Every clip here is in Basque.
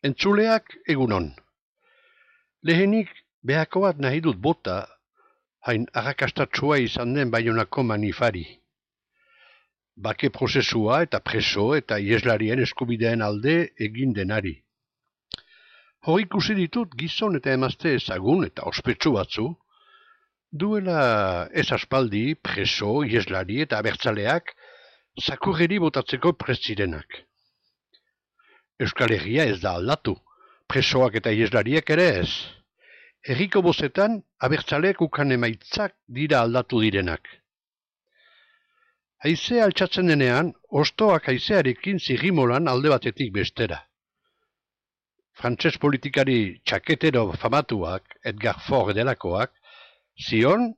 Entzuleak egunon. Lehenik behako bat nahi dut bota, hain arrakastatsua izan den Baionako manifari. Bake prozesua eta preso eta ieslarien eskubideen alde egin denari. Hor ikusi ditut gizon eta emazte ezagun eta ospetsu batzu, duela ez aspaldi preso, ieslari eta abertzaleak zakurreri botatzeko prest zirenak. Euskal Herria ez da aldatu, presoak eta ieslariek ere ez. Herriko bozetan abertzaleek ukan emaitzak dira aldatu direnak. Haizea altxatzen denean, ostoak haizearekin zirrimolan alde batetik bestera. Frantses politikari txaketero famatuak, Edgar Faure delakoak, zion,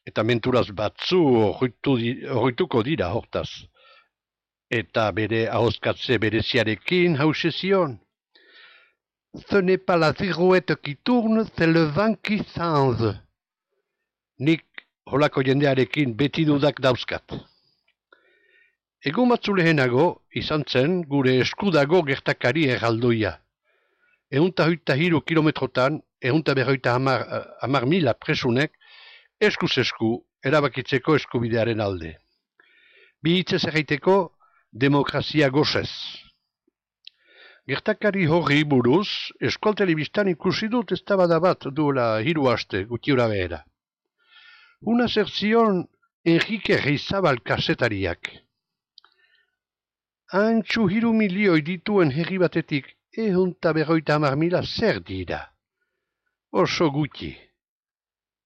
eta menturaz batzu horrituko dira hortaz. Eta bere ahozkatze bereziarekin hause zion. Ce n'est pas la girouette qui tourne, c'est le vent qui change. Nik holako jendearekin beti dudak dauzkat. Egun batzu lehenago izan zen gure eskudago gertakari erraldoia. 123 kilometrotan, 150.000 presunek eskuz esku erabakitzeko eskubidearen alde. Bi hitzez erraiteko demokrazia gozez. Gertakari horri buruz, Euskal Telebistan ikusi dut eztabaida bat duela 3 aste gutxiura behera. Una zerzion Enrique Reizabal kasetariak. Antxu 3 milioi dituen herri batetik 150.000 zer dira. Oso gutxi.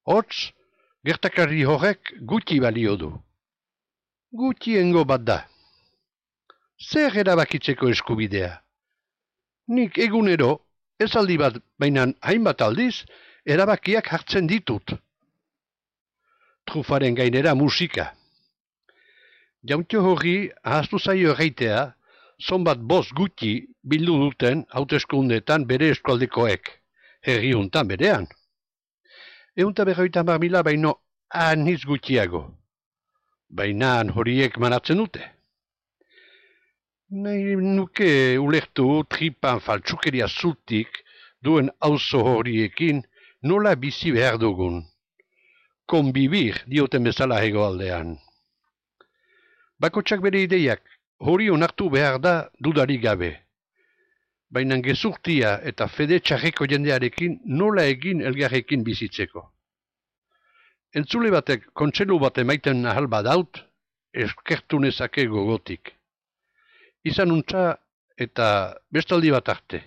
Hotz, gertakari horrek gutxi balio du. Gutxiengo bat da. Zer erabakitzeko eskubidea? Nik egunero, ez aldi bat, baina hainbat aldiz, erabakiak hartzen ditut. Trufaren gainera musika. Jauntxo horri ahaztu zaio erraitea, zonbat bost gutxi bildu duten hauteskundeetan bere eskualdekoek, herri hontan berean. 150.000 baino aniz gutxiago. Baina horiek manatzen dute. Nahi nuke ulertu tripan faltsukeria zutik duen auzo horiekin nola bizi behar dugun. Konbibir dioten bezala hegoaldean. Bakotsak bere ideiak hori onartu behar da dudarik gabe. Baina gezurtia eta fede txarreko jendearekin nola egin elgarrekin bizitzeko. Entzule batek kontselu bat emaiten ahal badaut, eskertu nezake gogotik. Izan untza eta bestaldi bat arte.